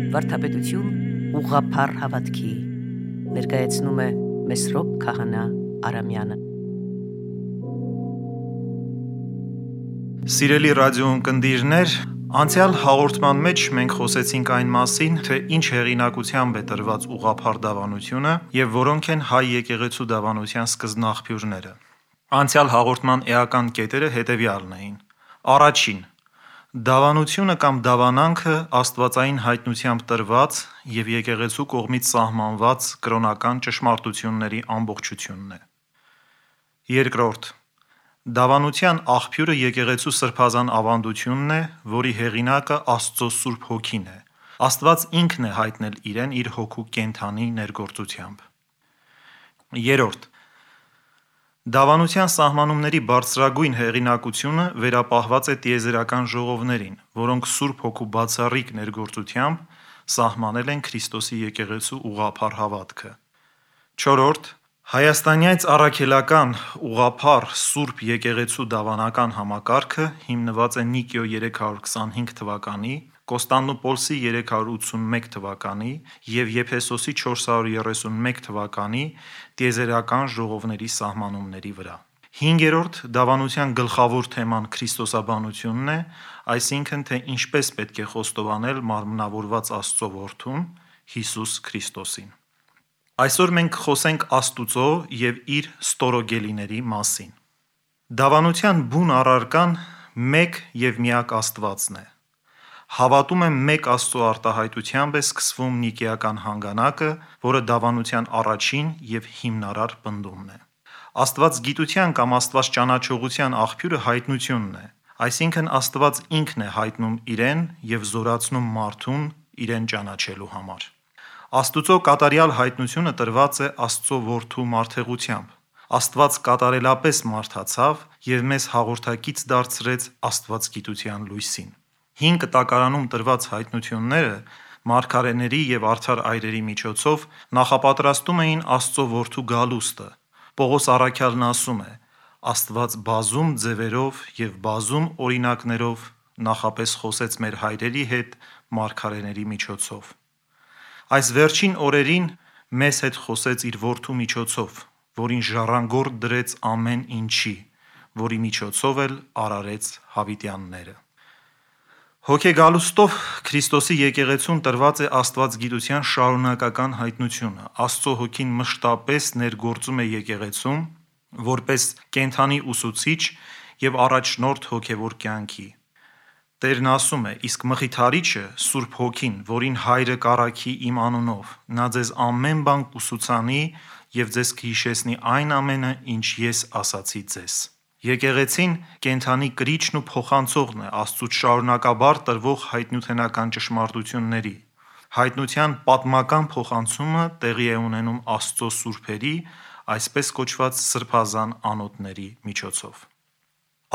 Վարդապետություն ուղղափառ հավատքի ներկայացնում է Մեսրոպ Քահանա Արամյանը։ Սիրելի ռադիո ունկնդիրներ, անցյալ հաղորդման մեջ մենք խոսեցինք այն մասին, թե ինչ հեղինակությամբ է տրված ուղղափառ դավանությունը եւ որոնք են հայ եկեղեցու դավանության սկզբնաղբյուրները։ Անցյալ հաղորդման էական կետերը հետևյալն էին. Առաջին, դավանությունը կամ դավանանքը աստվածային հայտնությամբ տրված եւ եկեղեցու կողմից սահմանված կրոնական ճշմարտությունների ամբողջությունն է։ Երկրորդ, դավանության աղբյուրը եկեղեցու սրբազան ավանդությունն է, որի հեղինակը Աստծո Սուրբ Հոգին է։ Աստված ինքն է հայտնել իրեն իր հոգու կենդանի ներգործությամբ։ Երրորդ, դավանության սահմանումների բարձրագույն հեղինակությունը վերապահված է տիեզերական ժողովներին, որոնք Սուրբ Հոգու բացառիկ ներգործությամբ սահմանել են Քրիստոսի եկեղեցու ուղղափառ հավատքը։ Չորրորդ, հայաստանյաց առաքելական ուղղափառ Սուրբ եկեղեցու դավանական համակարգը հիմնված է Նիկիո 325 թվականի, Կոստանդնուպոլսի 381 թվականի և Եփեսոսի 431 թվականի տիեզերական ժողովների սահմանումների վրա։ Հինգերորդ, դավանության գլխավոր թեման քրիստոսաբանությունն է, այսինքն թե ինչպես պետք է խոստովանել մարմնավորված Աստծո Որդուն Հիսուս Քրիստոսին։ Այսօր մենք խոսենք Աստուծո և իր ստորոգելիների մասին։ Դավանության բուն առարկան մեկ և միակ Աստվածն է։ Հավատում եմ մեկ Աստծո արտահայտությամբ է սկսվում նիկեական հանգանակը, որը դավանության առաջին և հիմնարար պնդումն է։ Աստվածգիտության կամ աստվածճանաչողության աղբյուրը հայտնությունն է, այսինքն Աստված ինքն է հայտնում իրեն և զորացնում մարդուն իրեն ճանաչելու համար։ Աստուծո կատարյալ հայտնությունը տրված է Աստծո Որդու մարդեղությամբ։ Աստված կատարելապես մարդացավ և մեզ հաղորդակից դարձրեց աստվածգիտության լույսին։ Հին Կտակարանում տրված հայտնությունները մարգարեների և արդար այրերի միջոցով նախապատրաստում էին Աստծո Որդու գալուստը։ Պողոս առաքյալն ասում է. «Աստված բազում ձևերով և բազում օրինակներով նախապես խոսեց մեր հայրերի հետ մարգարեների միջոցով»։ Այս վերջին օրերին մեզ հետ խոսեց իր Որդու միջոցով, որին ժառանգորդ դրեց ամեն ինչի, որի միջոցով էլ արարեց հավիտյանները։ Հոգեգալուստով Քրիստոսի եկեղեցուն տրված է աստվածգիտության շարունակական հայտնությունը։ Աստծո Հոգին մշտապես ներգործում է եկեղեցում որպես կենդանի ուսուցիչ և առաջնորդ հոգևոր կյանքի։ Տերն ասում է. «Իսկ Մխիթարիչը, Սուրբ Հոգին, որին Հայրը կառաքի իմ անունով, նա ձեզ ամեն բան կուսուցանի և ձեզ կհիշեցնի այն ամենը, ինչ ես ասացի ձեզ»։ Եկեղեցին կենդանի կրիչն ու փոխանցողն է Աստծուց շարունակաբար տրվող հայտնութենական ճշմարտությունների։ Հայտնության պատմական փոխանցումը տեղի է ունենում Աստծո սուրբերի, այսպես կոչված սրբազան անոթների միջոցով։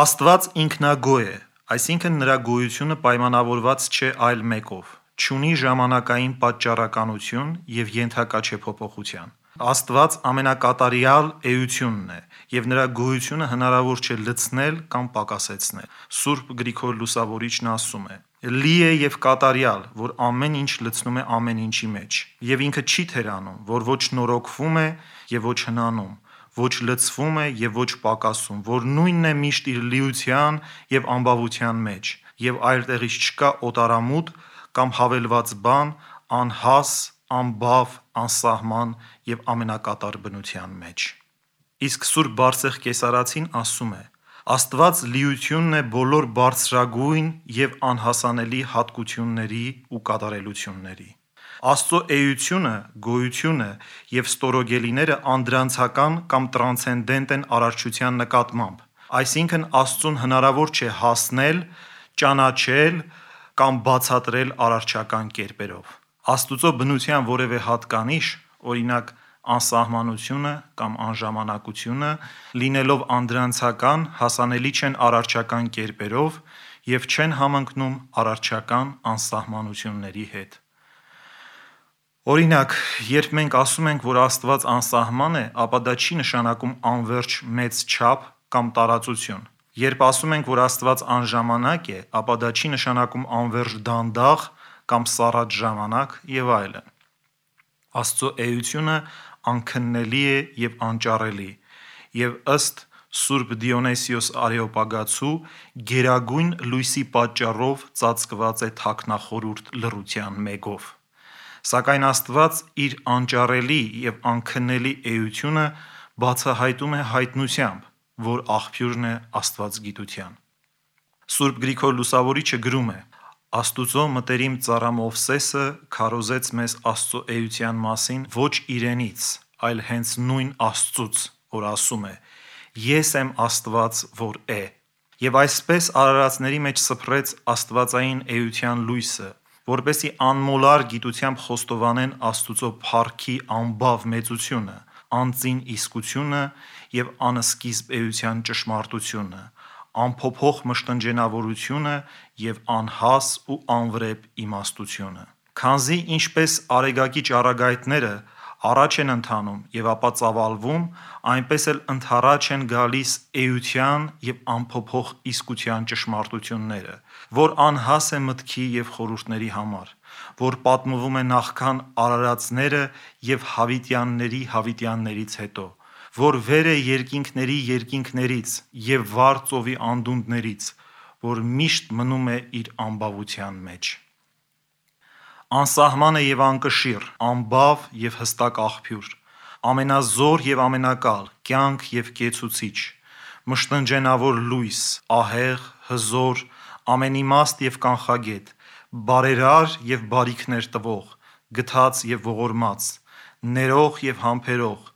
Աստված ինքնագոհ է, այսինքն նրա գոյությունը պայմանավորված չէ այլ մեկով, չունի ժամանակային պատճառականություն և ենթակա չէ փոփոխության։ Աստված ամենակատարյալ էությունն է, և նրա գոյությունը հնարավոր չէ լցնել կամ պակասեցնել։ Սուրբ Գրիգոր Լուսավորիչն ասում է. «Լի է և կատարյալ, որ ամեն ինչ լցնում է ամեն ինչի մեջ, և ինքը չի թերանում, որ ոչ նորոգվում է և ոչ հնանում, ոչ լցվում է և ոչ պակասում, որ նույնն է միշտ իր լիության և ամբավության մեջ, և այլտեղից չկա օտարամուտ կամ հավելված բան անհաս, անբավ, անսահման և ամենակատար բնության մեջ»։ Իսկ Սուրբ Բարսեղ Կեսարացին ասում է. «Աստված լիությունն է բոլոր բարձրագույն և անհասանելի հատկությունների ու կատարելությունների»։ Աստծո էությունը, գոյությունը և ստորոգելիները անդրանցական կամ տրանսցենդենտ են արարչության նկատմամբ, այսինքն Աստծուն հնարավոր չէ հասնել, ճանաչել կամ բացատրել արարչական կերպերով։ Աստուծո բնության որևէ հատկանիշ, օրինակ անսահմանությունը կամ անժամանակությունը, լինելով անդրանցական, հասանելի չեն արարչական կերպերով և չեն համընկնում արարչական անսահմանությունների հետ։ Օրինակ, երբ մենք ասում ենք, որ Աստված անսահման է, ապա դա չի նշանակում անվերջ մեծ չափ կամ տարածություն։ Երբ ասում ենք, որ Աստված անժամանակ է, ապա դա չի նշանակում անվերջ դանդաղ կամ սառած ժամանակ եւ այլն։ Աստծո էությունը անքննելի է եւ անճարելի, եւ ըստ Սուրբ Դիոնեսիոս Արեոպագացու գերագույն լույսի պատճառով ծածկված է թաքնախորուրդ լռության մեգով։ Սակայն Աստված իր անճարելի եւ անքննելի էությունը բացահայտում է հայտնությամբ, որ աղբյուրն է աստվածգիտության։ Սուրբ Գրիգոր Լուսավորիչը գրում է. Աստուծո մտերիմ ծառա Մովսեսը քարոզեց մեզ Աստծո էության մասին ոչ իրենից, այլ հենց նույն Աստծուց, որ ասում է. Ես եմ Աստված, որ է։ Եվ այսպես արարածների մեջ սփռեց աստվածային էության լույսը, որպեսզի անմոլար գիտությամբ խոստովանեն Աստուծո փառքի անբավ մեծությունը, անծին իսկությունը եւ անսկիզբ էության ճշմարտությունը, անփոփոխ մշտնջենավորությունը եւ անհաս ու անվրեպ իմաստությունը։ Քանզի ինչպես արեգակի ճառագայթները առաջ են ընթանում եւ ապա ծավալվում, այնպես էլ ընդառաջ են գալիս էության եւ անփոփոխ իսկության ճշմարտությունները, որ անհաս է մտքի եւ խորհուրդների համար, որ պատմվում է նախքան արարածները եւ հավիտյաններից հետո, որ վեր է երկինքներից եւ վառ ծովի անդունդներից, որ միշտ մնում է իր անբավության մեջ։ Անսահման է եւ անկշիռ, անբավ եւ հստակ աղբյուր, ամենազոր եւ ամենակալ, կյանք եւ կեցուցիչ, մշտնջենավոր լույս, ահեղ, հզոր, ամենիմաստ եւ կանխագետ, բարերար եւ բարիքներ տվող, գթած եւ ողորմած, ներող եւ համբերող,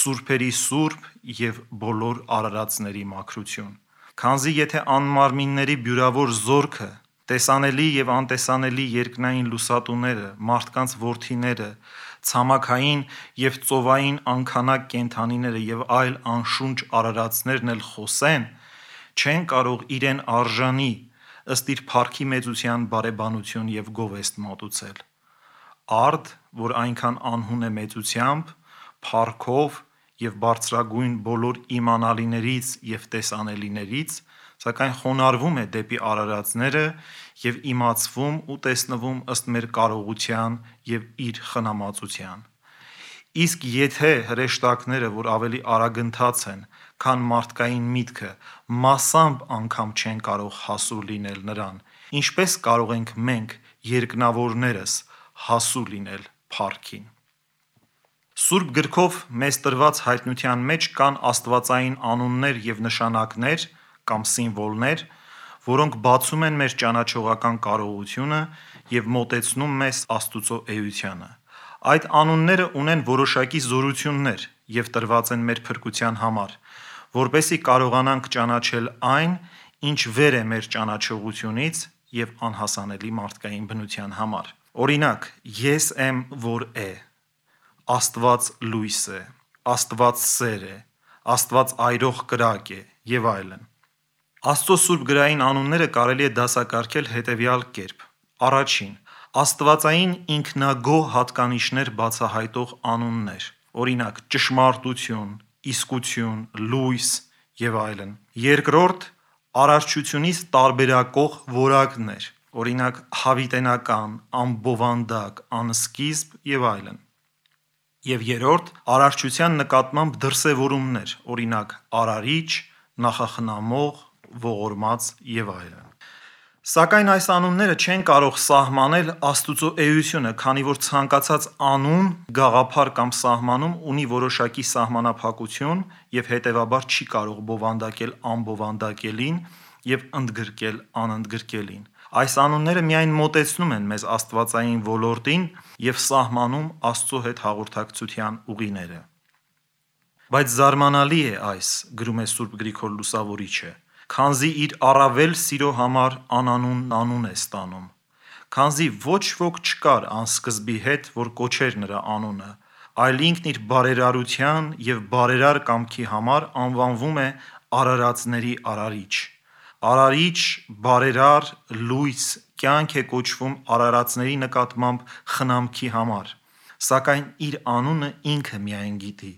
սուրբերի սուրբ եւ բոլոր արարածների մաքրություն։ Քանզի եթե անմարմինների բյուրավոր զորքը, տեսանելի եւ անտեսանելի երկնային լուսատուները, մարդկանց որդիները, ցամաքային եւ ծովային անքանակ կենդանիները եւ այլ անշունչ արարածներն էլ խոսեն, չեն կարող իրեն արժանի ըստ իր փառքի մեծության բարեբանություն եւ գովեստ մատուցել։ Արդ, որ այնքան անհուն է մեծությամբ, փառքով եւ բարձրագույն բոլոր իմանալիներից եւ տեսանելիներից, սակայն խոնարհվում է դեպի արարածները եւ իմացվում ու տեսնվում ըստ մեր կարողության եւ իր խնամածության։ Իսկ եթե հրեշտակները, որ ավելի արագընթաց են, քան մարդկային միտքը, մասամբ անգամ չեն կարող հասու լինել նրան, ինչպես կարող ենք մենք, երկնավորներս, հասու լինել փառքին։ Սուրբ գրքով մեզ տրված հայտնության մեջ կան աստվածային անուններ եւ նշանակներ կամ սիմվոլներ, որոնք բացում են մեր ճանաչողական կարողությունը եւ մոտեցնում մեզ Աստուծո էությանը։ Այդ անունները ունեն որոշակի զորություններ եւ տրված են մեր փրկության համար, որպեսզի կարողանանք ճանաչել այն, ինչ վեր է մեր ճանաչողությունից եւ անհասանելի մարդկային բնության համար։ Օրինակ, ես եմ, որ է, Աստված լույս է, Աստված սեր է, Աստված այրող կրակ է եւ այլն։ Աստծո սուրբ գրային անունները կարելի է դասակարգել հետևյալ կերպ. Առաջին, աստվածային ինքնագոհ հատկանիշներ բացահայտող անուններ, օրինակ ճշմարտություն, իսկություն, լույս եւ այլն։ Երկրորդ, արարչությունից տարբերակող որակներ, օրինակ հավիտենական, անբովանդակ, անսկիզբ եւ այլն։ Եվ երրորդ, արարչության նկատմամբ դրսևորումներ, օրինակ արարիչ, նախախնամող, ողորմած եւ այլն։ Սակայն այս անունները չեն կարող սահմանել Աստուծո էությունը, քանի որ ցանկացած անուն, գաղափար կամ սահմանում ունի որոշակի սահմանափակություն եւ հետեւաբար չի կարող բովանդակել անբովանդակելին եւ ընդգրկել անընդգրկելին։ Այս անունները միայն մոտեցնում են մեզ աստվածային ոլորտին եւ սահմանում Աստծո հետ հաղորդակցության ուղիները։ Բայց զարմանալի է այս, գրում է Սուրբ Գրիգոր Լուսավորիչը, քանզի իր առավել սիրո համար անանուն անուն է ստանում, քանզի ոչ ոք չկար անսկզբի հետ, որ կոչեր նրա անունը, այլ ինքն իր բարերարության եւ բարերար կամքի համար անվանվում է արարածների արարիչ։ Արարիչ, բարերար, լույս, կյանք է կոչվում արարածների նկատմամբ խնամքի համար, սակայն իր անունը ինքը միայն գիտի։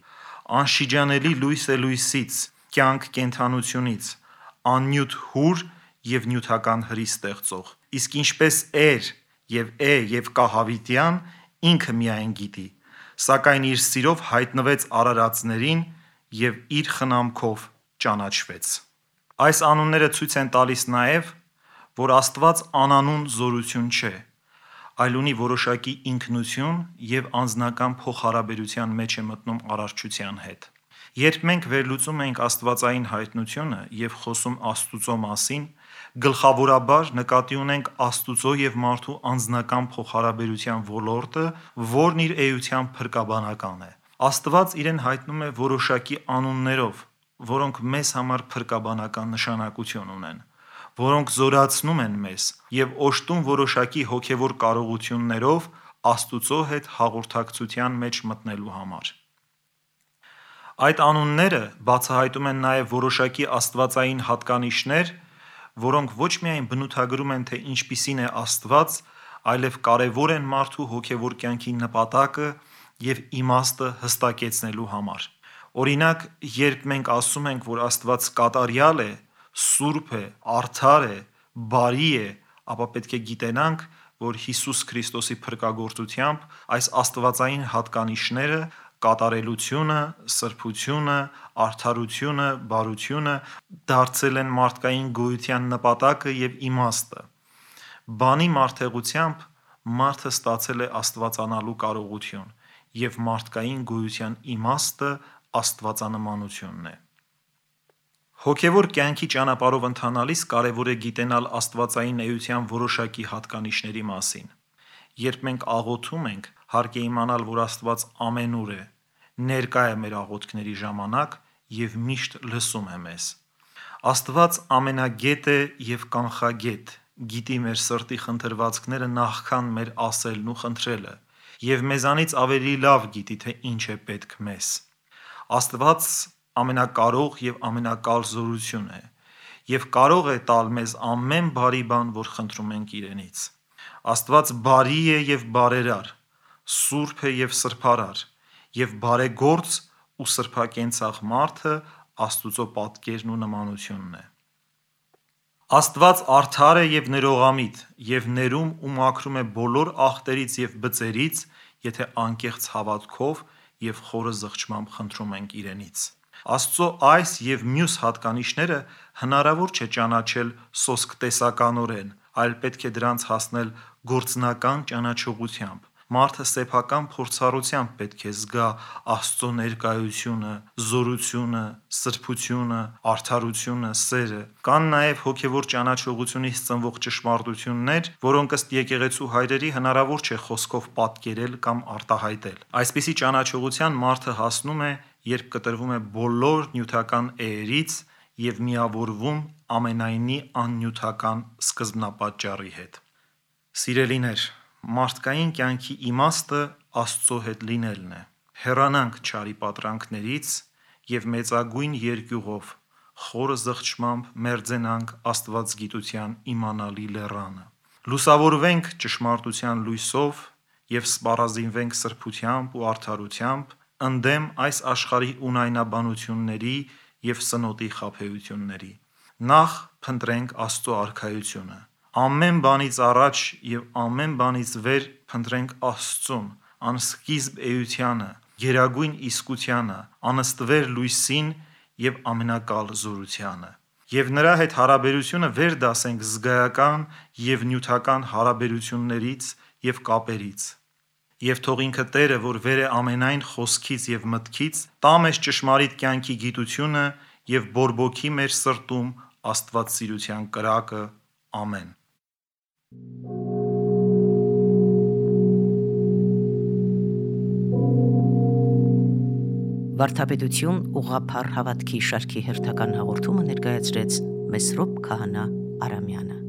Անշիջանելի լույս է լույսից, կյանք կենդանությունից, աննյութ հուր եւ նյութական հրի ստեղծող։ Իսկ ինչպես էր եւ եւ Կահավիտյան ինքը միայն գիտի, սակայն իր սիրով հայտնվեց արարածներին եւ իր խնամքով ճանաչվեց։ Այս անունները ցույց են տալիս նաեւ, որ Աստված անանուն զորություն չէ, այլ ունի որոշակի ինքնություն եւ անձնական փոխհարաբերության մեջ է մտնում արարչության հետ։ Երբ մենք վերլուծում ենք աստվածային հայտնությունը եւ խոսում Աստուծո մասին, գլխավորաբար նկատի ունենք Աստուծո եւ մարդու անձնական փոխհարաբերության ոլորտը, որն իր էությամբ փրկաբանական է։ Աստված իրեն հայտնում է որոշակի անուններով, որոնք մեզ համար փրկաբանական նշանակություն ունեն, որոնք զորացնում են մեզ եւ օժտում որոշակի հոգեվոր կարողություններով Աստուծո հետ հաղորդակցության մեջ մտնելու համար։ Այդ անունները բացահայտում են նաեւ որոշակի աստվածային հատկանիշներ, որոնք ոչ միայն բնութագրում են, թե ինչպիսին է Աստված, այլև կարևոր են մարդու հոգևոր կյանքի նպատակը եւ իմաստը հստակեցնելու համար։ Օրինակ, երբ մենք ասում ենք, որ Աստված կատարյալ է, սուրբ է, արդար է, բարի է, ապա պետք է գիտենանք, որ Հիսուս Քրիստոսի փրկagorցությամբ այս աստվածային հատկանիշները կատարելությունը, սրբությունը, արդարությունը, բարությունը դարձել են մարդկային գոյության նպատակը եւ իմաստը։ Բանի մարդեղությամբ մարդը ստացել է աստվածանալու կարողություն եւ մարդկային գոյության իմաստը աստվածանմանությունն է։ Հոգևոր կյանքի ճանապարհով ընթանալիս կարևոր է գիտենալ աստվածային էության որոշակի հատկանիշների մասին։ Երբ մենք աղոթում ենք, հարկ է իմանալ, որ Աստված ամենուր է, ներկա է մեր աղոթքների ժամանակ եւ միշտ լսում է մեզ։ Աստված ամենագետ է եւ կանխագետ, գիտի մեր սրտի խնդրվածքները նախքան մեր ասելն ու խնդրելը եւ մեզանից ավելի լավ գիտի, թե ինչ է պետք մեզ։ Աստված ամենակարող եւ ամենակալ զորություն է եւ կարող է տալ մեզ ամեն բարի բան, որ խնդրում ենք իրենից։ Աստված բարի է եւ բարերար, սուրբ է եւ սրբարար եւ բարեգործ ու սրբակենցաղ մարդը Աստուծո պատկերն ու նմանությունն է։ Աստված արդար է եւ ներողամիտ եւ ներում ու մաքրում է բոլոր ախտերից եւ բծերից, եթե անկեղծ հավատքով եւ խորը զղջմամբ խնդրում ենք իրենից։ Աստծո այս եւ մյուս հատկանիշները հնարավոր չէ ճանաչել սոսկ տեսականորեն, այլ պետք է դրանց հասնել գործնական ճանաչողությամբ։ Մարդը սեփական փորձառությամբ պետք է զգա Աստծո ներկայությունը, զորությունը, սրբությունը, արդարությունը, սերը։ Կան նաև հոգևոր ճանաչողությունից ծնվող ճշմարտություններ, որոնք ըստ եկեղեցու հայրերի հնարավոր չէ խոսքով պատկերել կամ արտահայտել։ Այսպիսի ճանաչողության մարդը հասնում է, երբ կտրվում է բոլոր նյութական էերից եւ միավորվում ամենայնի աննյութական սկզբնապատճառի հետ։ Սիրելիներ, մարդկային կյանքի իմաստը Աստծո հետ լինելն է։ Հեռանանք չարի պատրանքներից եւ մեծագույն երկյուղով, խորը զղջմամբ մերձենանք Աստվածգիտության իմանալի լեռանը։ Լուսավորվենք ճշմարտության լույսով եւ սպառազինվենք սրբությամբ ու արդարությամբ, ընդդեմ այս աշխարհի ունայնաբանությունների եւ սնոտի խաբեությունների։ Նախ փնտրենք Աստծո արքայությունը։ Ամեն բանից առաջ եւ ամեն բանից վեր փնտրենք Աստծուն, անսկիզբ էությանը, գերագույն իսկությանը, անըստվեր լույսին եւ ամենակալ զորությանը։ Եվ նրա հետ հարաբերությունը վեր դասենք զգայական եւ նյութական հարաբերություններից եւ կապերից։ Եվ թող ինքը Տերը, որ վեր է ամենայն խոսքից եւ մտքից, տա մեզ ճշմարիտ կյանքի գիտությունը եւ բորբոքի մեր սրտում Աստվածսիրության կրակը։ Ամեն։ Վարդապետություն ուղղափառ հավատքի շարքի հերթական հաղորդումը ներկայացրեց Մեսրոպ Քահանա Արամյանը։